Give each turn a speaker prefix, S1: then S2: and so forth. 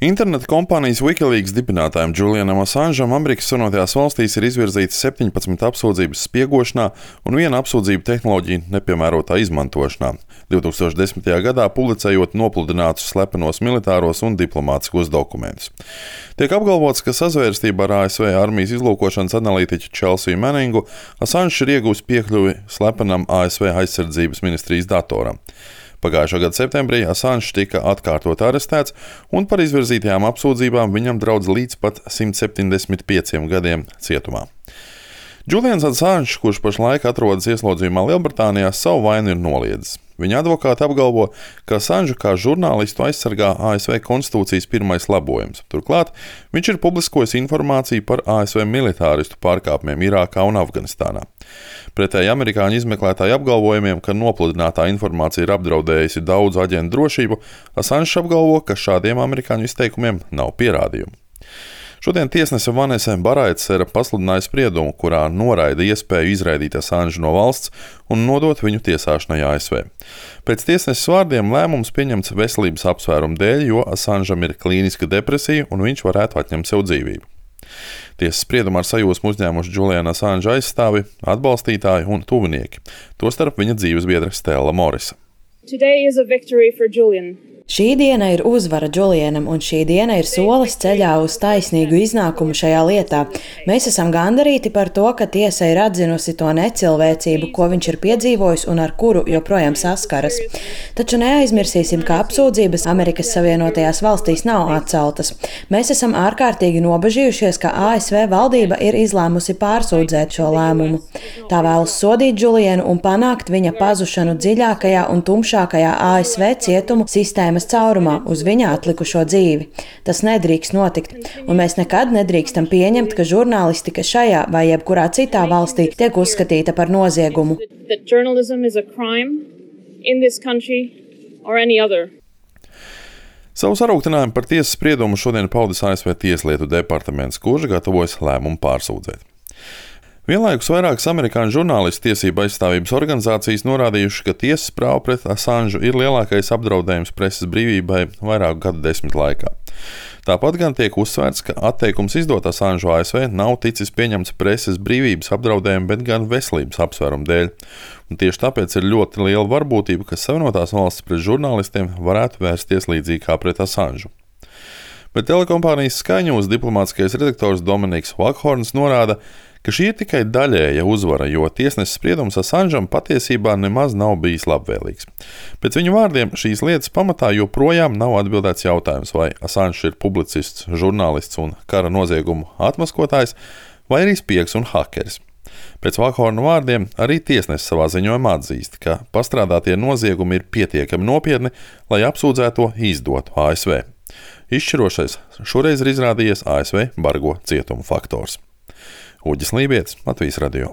S1: Interneta kompānijas Wikileaks dibinātājam Julianam Assangeam Amerikas Savienotajās valstīs ir izvirzītas 17 apsūdzības spiegošanā un viena apsūdzība tehnoloģiju nepiemērotā izmantošanā, 2010. gadā publicējot nopludinātus slepenos militāros un diplomātiskos dokumentus. Tiek apgalvots, ka sazvērstībā ar ASV armijas izlūkošanas analītiķu Chelsea Manningu Assange ir iegūs piekļuvi slepenam ASV aizsardzības ministrijas datoram. Pagājušā gada septembrī Assange tika atkārtot arestēts, un par izvirzītajām apsūdzībām viņam draudz līdz pat 175 gadiem cietumā. Julians Assange, kurš pašlaik atrodas ieslodzījumā Lielbritānijā, savu vainu ir noliedzis. Viņa advokāti apgalvo, ka Assange kā žurnālistu aizsargā ASV konstitūcijas pirmais labojums. Turklāt viņš ir publiskojis informāciju par ASV militāristu pārkāpumiem Irākā un Afganistānā. Pretēji amerikāņu izmeklētāju apgalvojumiem, ka nopludinātā informācija ir apdraudējusi daudzu aģentu drošību, Assange apgalvo, ka šādiem amerikāņu izteikumiem nav pierādījumu. Šodien tiesnese Vanese Baraitsere pasludināja spriedumu, kurā noraida iespēju izraidīt Assange no valsts un nodot viņu tiesāšanai ASV. Pēc tiesneses vārdiem lēmums pieņemts veselības apsvērumu dēļ, jo Assangeam ir klīniska depresija un viņš varētu atņemt sev dzīvību. Tiesas spriedumā ar sajūsmu uzņēmuši Juliana Assange aizstāvi, atbalstītāji un tuvinieki, tostarp viņa dzīvesbiedre Stella Morisa.
S2: Today is a victory for Julian.
S3: Šī diena ir uzvara Julianam, un šī diena ir solis ceļā uz taisnīgu iznākumu šajā lietā. Mēs esam gandarīti par to, ka tiesa ir atzinusi to necilvēcību, ko viņš ir piedzīvojis un ar kuru joprojām saskaras. Taču neaizmirsīsim, ka apsūdzības Amerikas Savienotajās valstīs nav atceltas. Mēs esam ārkārtīgi nobažījušies, ka ASV valdība ir izlēmusi pārsūdzēt šo lēmumu. Tā vēlas sodīt Julianu un panākt viņa pazušanu dziļākajā un tumšākajā ASV cietumu sistēmas caurumā uz viņa atlikušo dzīvi. Tas nedrīkst notikt, un mēs nekad nedrīkstam pieņemt, ka žurnālistika šajā vai jebkurā citā valstī tiek uzskatīta par noziegumu.
S1: Savu sarūktinājumu par tiesas spriedumu šodien paudis ASV Tieslietu departaments, kurš gatavojas lēmumu pārsūdzēt. Vienlaikus vairākas amerikāņu žurnālistu tiesību aizstāvības organizācijas norādījuši, ka tiesas prāva pret Assange ir lielākais apdraudējums preses brīvībai vairāku gadu desmitu laikā. Tāpat gan tiek uzsvērts, ka atteikums izdot Assange ASV nav ticis pieņemts preses brīvības apdraudējumu, bet gan veselības apsvērumu dēļ. Un tieši tāpēc ir ļoti liela varbūtība, ka Savienotās valstis pret žurnālistiem varētu vērsties līdzīgi kā pret Assange. Bet telekompānijas Sky News diplomātiskais redaktors Dominiks Vakhorns norāda, ka šī ir tikai daļēja uzvara, jo tiesneses spriedums Assangeam patiesībā nemaz nav bijis labvēlīgs. Pēc viņu vārdiem šīs lietas pamatā joprojām nav atbildēts jautājums, vai Assange ir publicists, žurnālists un kara noziegumu atmaskotājs, vai arī spiegs un hakeris. Pēc Vakhorna vārdiem arī tiesneses savā ziņojumā atzīst, ka pastrādātie noziegumi ir pietiekami nopietni, lai apsūdzēto izdotu ASV. Izšķirošais šoreiz ir izrādījies ASV bargo cietumu faktors. Uģis Lībietis, Latvijas radio.